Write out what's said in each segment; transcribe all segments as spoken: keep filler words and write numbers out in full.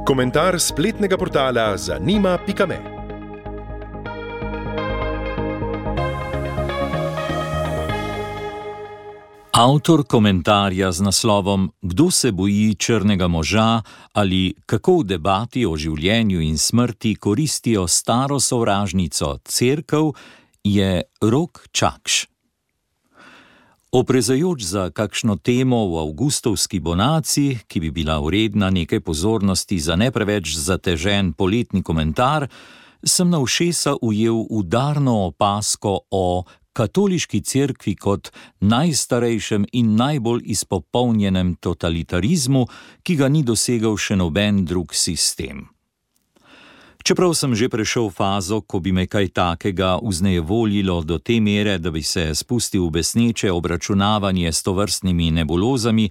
Komentar spletnega portala zanima pika me. Avtor komentarja z naslovom Kdo se boji črnega moža ali kako v debati o življenju in smrti koristijo staro sovražnico Cerkev je Rok Čakš. Oprezajoč za kakšno temo v avgustovski bonaciji, ki bi bila vredna nekaj pozornosti za ne preveč zatežen poletni komentar, sem na ušesa ujel udarno opazko o katoliški cerkvi kot najstarejšem in najbolj izpopolnjenem totalitarizmu, ki ga ni dosegel še noben drug sistem. Čeprav sem že prešel fazo, ko bi me kaj takega vznejevoljilo do te mere, da bi se spustil v besneče obračunavanje s tovrstnimi nebulozami,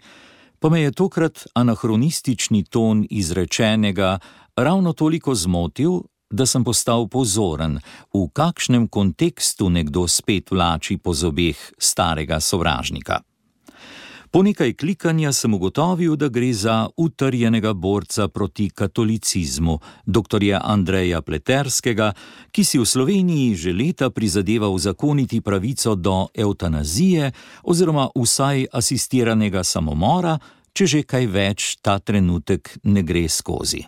pa me je tokrat anahronistični ton izrečenega ravno toliko zmotil, da sem postal pozoren, v kakšnem kontekstu nekdo spet vlači po zobeh starega sovražnika. Po nekaj klikanja sem ugotovil, da gre za utrjenega borca proti katolicizmu, doktorja Andreja Pleterskega, ki si v Sloveniji že leta prizadeva uzakoniti pravico do evtanazije oziroma vsaj asistiranega samomora, če že kaj več ta trenutek ne gre skozi.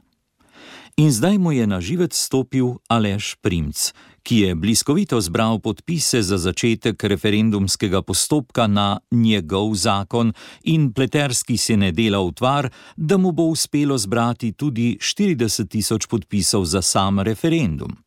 In zdaj mu je na živec stopil Aleš Primc, ki je bliskovito zbral podpise za začetek referendumskega postopka na njegov zakon in Pleterski se ne dela utvar, da mu bo uspelo zbrati tudi štirideset tisoč podpisov za sam referendum.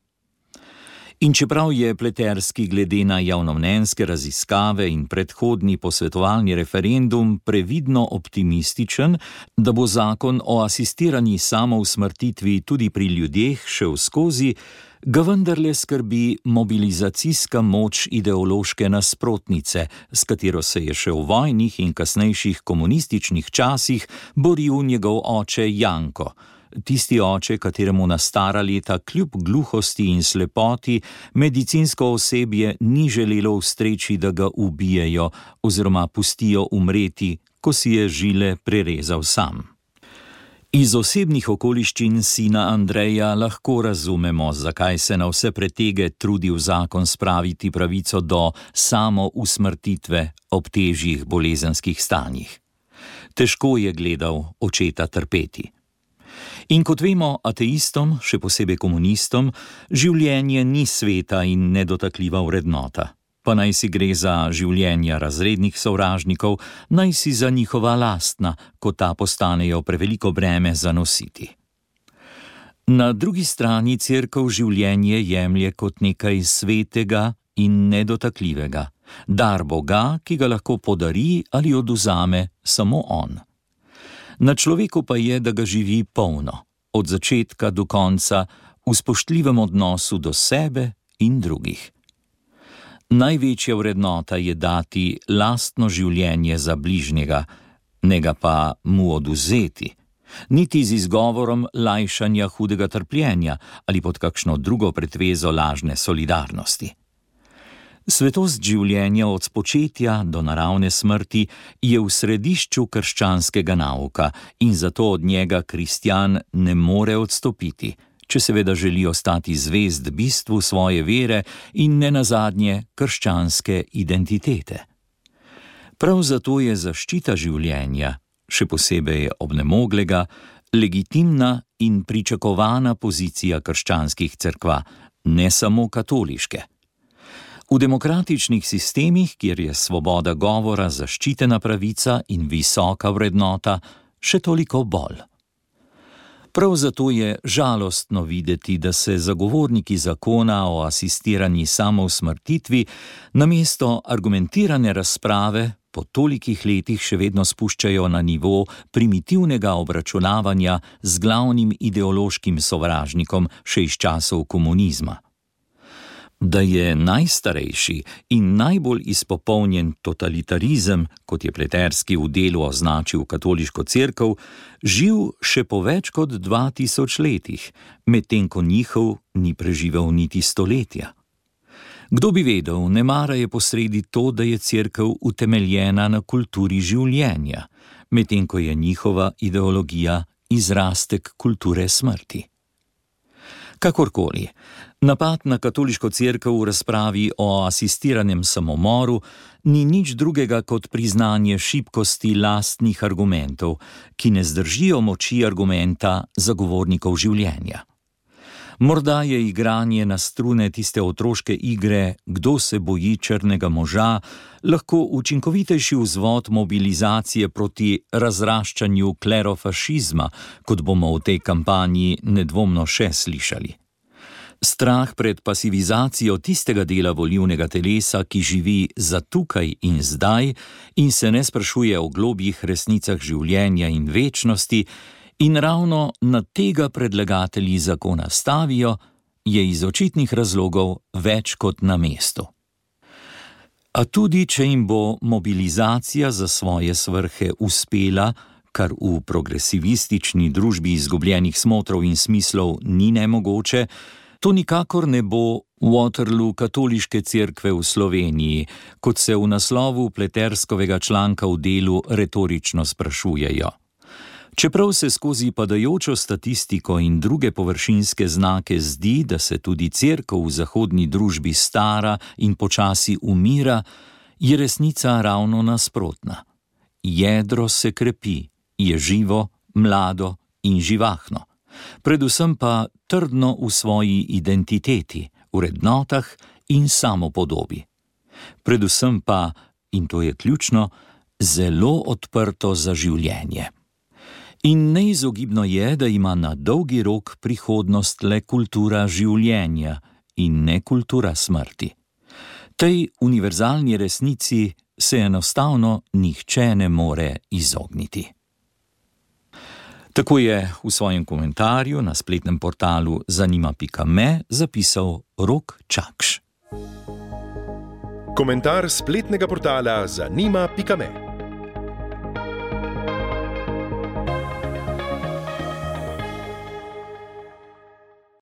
In čeprav je Pleterski glede na javnomnenjske raziskave in predhodni posvetovalni referendum previdno optimističen, da bo zakon o asistirani samousmrtitvi tudi pri ljudeh šel skozi, ga vendarle skrbi mobilizacijska moč ideološke nasprotnice, s katero se je še v vojnih in kasnejših komunističnih časih boril njegov oče Janko. Tisti oče, kateremu na stara leta kljub gluhosti in slepoti medicinsko osebje ni želelo ustreči, da ga ubijejo oziroma pustijo umreti, ko si je žile prerezal sam. Iz osebnih okoliščin sina Andreja lahko razumemo, zakaj se na vse pretege trudi v zakon spraviti pravico do samousmrtitve ob težjih bolezenskih stanjih. Težko je gledal očeta trpeti. In kot vemo, ateistom, še posebej komunistom, življenje ni sveta in nedotakljiva vrednota. Pa naj si gre za življenja razrednih sovražnikov, naj si za njihova lastna, ko ta postanejo preveliko breme za nositi. Na drugi strani Cerkev življenje jemlje kot nekaj svetega in nedotakljivega, dar Boga, ki ga lahko podari ali odvzame samo on. Na človeku pa je, da ga živi polno, od začetka do konca, v spoštljivem odnosu do sebe in drugih. Največja vrednota je dati lastno življenje za bližnjega, ne ga pa mu odvzeti, niti z izgovorom lajšanja hudega trpljenja ali pod kakšno drugo pretvezo lažne solidarnosti. Svetost življenja od spočetja do naravne smrti je v središču krščanskega nauka in zato od njega kristjan ne more odstopiti, če seveda želi ostati zvest bistvu svoje vere in nenazadnje krščanske identitete. Prav zato je zaščita življenja, še posebej obnemoglega, legitimna in pričakovana pozicija krščanskih cerkva, ne samo katoliške. V demokratičnih sistemih, kjer je svoboda govora zaščitena pravica in visoka vrednota, še toliko bolj. Prav zato je žalostno videti, da se zagovorniki zakona o asistirani samousmrtitvi namesto argumentirane razprave po tolikih letih še vedno spuščajo na nivo primitivnega obračunavanja z glavnim ideološkim sovražnikom še iz časov komunizma. Da je najstarejši in najbolj izpopolnjen totalitarizem, kot je Pleterski v delu označil katoliško cerkev, živ še po več kot dva tisoč letih, medtem ko njihov ni preživel niti stoletja. Kdo bi vedel, nemara je posredi to, da je cerkev utemeljena na kulturi življenja, medtem ko je njihova ideologija izrastek kulture smrti. Kakorkoli, napad na katoliško cerkev v razpravi o asistiranem samomoru ni nič drugega kot priznanje šibkosti lastnih argumentov, ki ne zdržijo moči argumenta zagovornikov življenja. Morda je igranje na strune tiste otroške igre, kdo se boji črnega moža, lahko učinkovitejši vzvod mobilizacije proti razraščanju klerofašizma, kot bomo v tej kampanji nedvomno še slišali. Strah pred pasivizacijo tistega dela volilnega telesa, ki živi za tukaj in zdaj in se ne sprašuje o globjih resnicah življenja in večnosti, in ravno na tega predlagatelji zakona stavijo, je iz očitnih razlogov več kot na mestu. A tudi, če jim bo mobilizacija za svoje svrhe uspela, kar v progresivistični družbi izgubljenih smotrov in smislov ni nemogoče, to nikakor ne bo Waterloo katoliške cerkve v Sloveniji, kot se v naslovu Pleterskovega članka v Delu retorično sprašujejo. Čeprav se skozi padajočo statistiko in druge površinske znake zdi, da se tudi cerkev v zahodni družbi stara in počasi umira, je resnica ravno nasprotna. Jedro se krepi, je živo, mlado in živahno. Predvsem pa trdno v svoji identiteti, vrednotah in samopodobi. Predvsem pa, in to je ključno, zelo odprto za življenje. In neizogibno je, da ima na dolgi rok prihodnost le kultura življenja in ne kultura smrti. Tej univerzalni resnici se enostavno nihče ne more izogniti. Tako je v svojem komentarju na spletnem portalu zanima pika me zapisal Rok Čakš. Komentar spletnega portala zanima pika me.